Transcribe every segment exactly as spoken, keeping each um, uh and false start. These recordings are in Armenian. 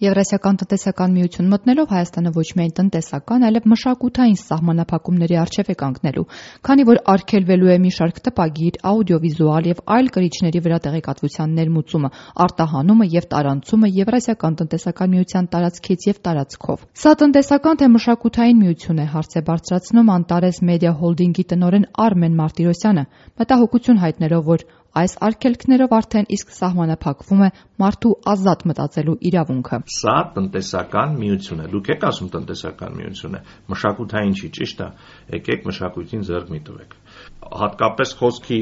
Եվրասիական տնտեսական միություն մտնելով Հայաստանը ոչ միայն տնտեսական, այլև մշակութային սահմանափակումների առջև է կանգնելու, քանի որ արգելվելու է մի շարք տպագիր, աուդիովիզուալ եւ այլ կրիչների վրա տեղեկատվության ներմուծումը, արտահանումը եւ տարանցումը Եվրասիական տնտեսական միության տարածքից եւ տարածքով։ Սա տնտեսական թե մշակութային միություն է, հարց է բարձրացնում Անտարես Մեդիա Հոլդինգի տնօրեն Արմեն Մարտիրոսյանը, մտահոգություն հայտնելով, որ այս արգելքներով արդեն իսկ սահմանափակվում է մարդու ազատ մտածելու իրավունքը։ Սա տնտեսական միություն է։ Դուք եք ասում տնտեսական միություն է, մշակութային չի, ճիշտ է։ Եկեք մշակույթին ձեռք մի տվեք։ Հատկապես խոսքի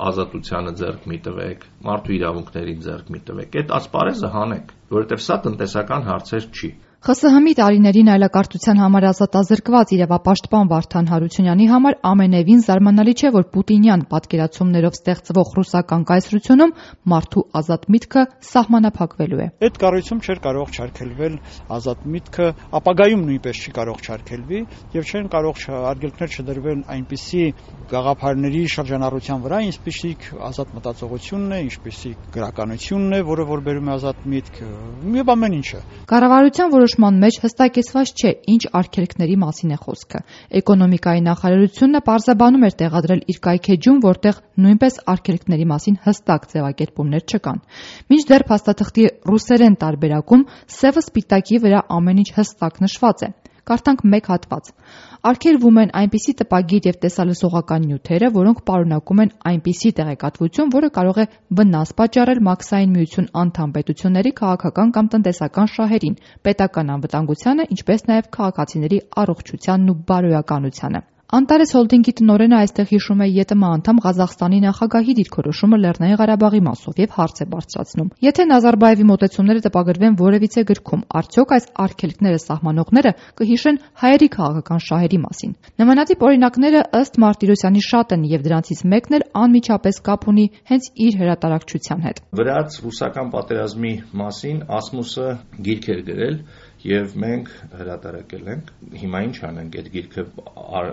ազատությանը ձեռք մի տվեք, մարդու իրավունքներին ձեռք մի տվեք։ Այդ ասպարեզը հանեք, որովհետև սա տնտեսական հարցեր չի։ Խ Ս Հ-ի տարիներին այլակարգության համար ազատազրկված իրավապաշտպան Վարդան Հարությունյանի համար ամենևին զարմանալի չէ, որ պուտինյան պատկերացումներով ստեղծվող ռուսական կայսրությունում մարդու ազատ միտքը սահմանափակվելու է։ Այդ կառույցում չէր կարող չարգելվել ազատ միտքը, ապագայում նույնպես չի կարող չարգելվի եւ չեն կարող արգելքներ չդրվել այնպիսի գաղափարների շրջանառության վրա, ինչպիսիք ազատ մտածողությունն է, ինչպիսիք գրականությունն է, որը որ բերում է ազատ միտք, եւ ամեն ինչը։ Կառավարության որոշման մեջ հստակեցված չէ, ինչ արգելքների մասին է խոսքը։ Էկոնոմիկայի նախարարությունը պարզաբանում էր տեղադրել իր կայքեջում, որտեղ նույնպես արգելքների մասին հստակ ձևակերպումներ չկան։ Մինչդեռ փաստաթղթի ռուսերեն տարբերակում սևը սպիտակի վրա ամեն ինչ հստակ նշված է։ Կարդանք մեկ հատված։ Արգելվում են այնպիսի տպագիր եւ տեսալսողական նյութերը, որոնք պարունակում են այնպիսի տեղեկատվություն, որը կարող է վնաս պատճառել Մաքսային միություն անդամ պետությունների քաղաքական կամ տնտեսական շահերին, պետական անվտանգությանը, ինչպես նաեւ քաղաքացիների առողջությանն ու բարոյականությանը։ Անտարես Հոլդինգի տնօրենը այստեղ հիշում է ԵՏՄ անդամ Ղազախստանի նախագահի դիրքորոշումը Լեռնային Ղարաբաղի մասով եւ հարց է բարձրացնում. Եթե Նազարբաևի մոտեցումները տպագրվեն որևիցե գրքում, արդյոք այս արգելքները սահմանողները կհիշեն հայերի քաղաքական շահերի մասին։ Նմանատիպ օրինակները ըստ Մարտիրոսյանի շատ են եւ դրանցից մեկն էլ անմիջապես կապ ունի հենց իր հրատարակչության հետ։ Վրաց ռուսական պատերազմի մասին Ասմուսը գիրք էր գրել եւ մենք հրատարակել ենք։ Հիմա ինչ անենք, այդ գիրքը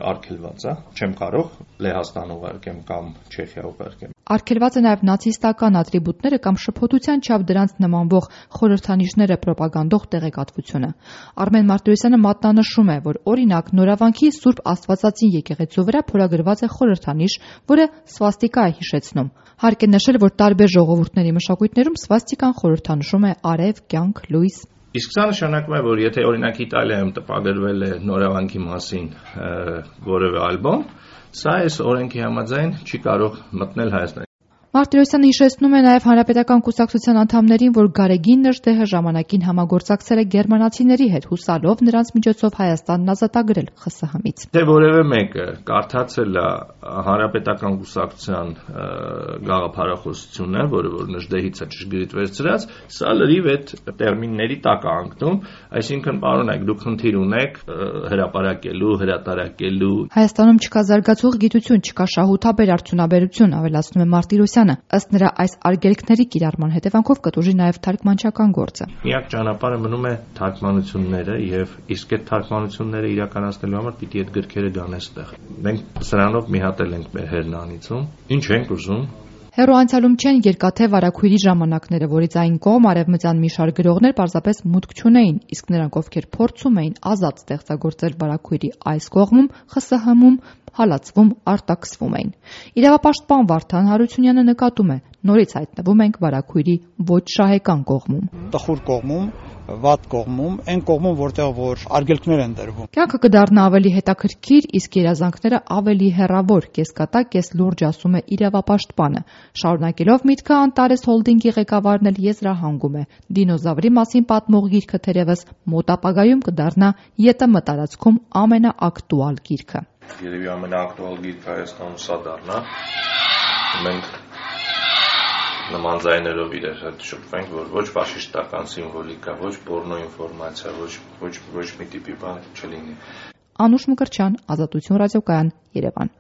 արգելված է, չեմ կարող Լեհաստան ուղարկեմ կամ Չեխիա ուղարկեմ։ Արգելված է նաեւ նացիստական ատրիբուտները կամ շփոթության չափ դրանց նմանվող խորհրդանիշները պրոպագանդող տեղեկատվությունը։ Արմեն Մարտիրոսյանը մատնանշում է, որ օրինակ Նորավանքի Սուրբ Աստվածածին եկեղեցու վրա փորագրված է խորհրդանիշ, որը սվաստիկա է հիշեցնում։ Հարկ է նշել, որ տարբեր ժողովուրդների մշակույթներում սվաստիկան խորհրդանշում է արև, կյանք, լույս։ Իսկ սա նշանակում է, որ եթե օրինակ Իտալիայում տպագրվել է Նորավանքի մասին որևէ ալբոմ, սա այս օրենքի համաձայն չի կարող մտնել Հայաստան։ Մարտիրոսյանը հիշեցնում է նաև Հանրապետական կուսակցության անդամներին, որ Գարեգին Նժդեհը ժամանակին համագործակցել է գերմանացիների հետ, հուսալով նրանց միջոցով Հայաստանն ազատագրել Խ Ս Հ-ից։ Թե որևէ մեկը կարդացել է Հանրապետական կուսակցության գաղափարախոսությունը, որը որ Նժդեհից է ճշգրիտ վերցրած, սա լրիվ այդ տերմինների տակ է ընկնում, այսինքն պարոնայք, դուք խնդիր ունեք հրապարակելու, հրատարակելու։ Հայաստանում չկա զարգացող գիտություն, չկա շահութաբեր արդյունաբերություն, ավելացնում է Մարտիրոսյանը։ Ըստ նրա, այս արգելքների կիրառման հետևանքով կտուժի նաև թարգմանչական գործը։ Միակ ճանապարհը մնում է թարգմանությունները եւ իսկ այդ թարգմանությունները իրականացնելու համար պիտի այդ գրքերը գան այստեղ։ Մենք սրանով մի հատ էլ ենք մեր հերնանիցում։ Ինչ ենք ուզում։ Հեռու անցյալում չեն երկաթե վարագույրի ժամանակները, որից այն կողմ արևմտյան մի շարք գրողներ պարզապես մուտք չունեին, իսկ նրանք, ովքեր փորձում էին ազատ ստեղծագործել վարագույրի այս կողմում, Խ Ս Հ-ում, հալածվում, արտաքսվում էին։ Իրավապաշտպան Վարդան Հարությունյանը նկատում է, նորից հայտնվում ենք վարագույրի ոչ շահեկան կողմում։ Տխուր կողմում, վատ կողմում, այն կողմում, որտեղ որ արգելքներ են դրվում։ Կյանքը կդառնա ավելի հետաքրքիր, իսկ երազանքները ավելի հեռավոր, կեսկատակ, կես լուրջ ասում է իրավապաշտպանը։ Շարունակելով միտքը Անտարես Հոլդինգի ղեկավարն էլ եզրահանգում է. դինոզավրի մասին պատմող գիրքը թերևս մոտ ապագայում կդառնա ԵՏՄ տարածքում ամենաակտուալ գիրքը։ Երևի ամենաակտուալ գիրքը Հայաստանում սա դառնա։ Մենք նման ձայներով իրար հետ շփվենք, որ ոչ ֆաշիստական սիմվոլիկա, ոչ պորնո ինֆորմացիա, ոչ ոչ ոչ մի տիպի բան չլինի։ Անուշ Մկրտչյան, Ազատություն ռադիոկայան, Երևան։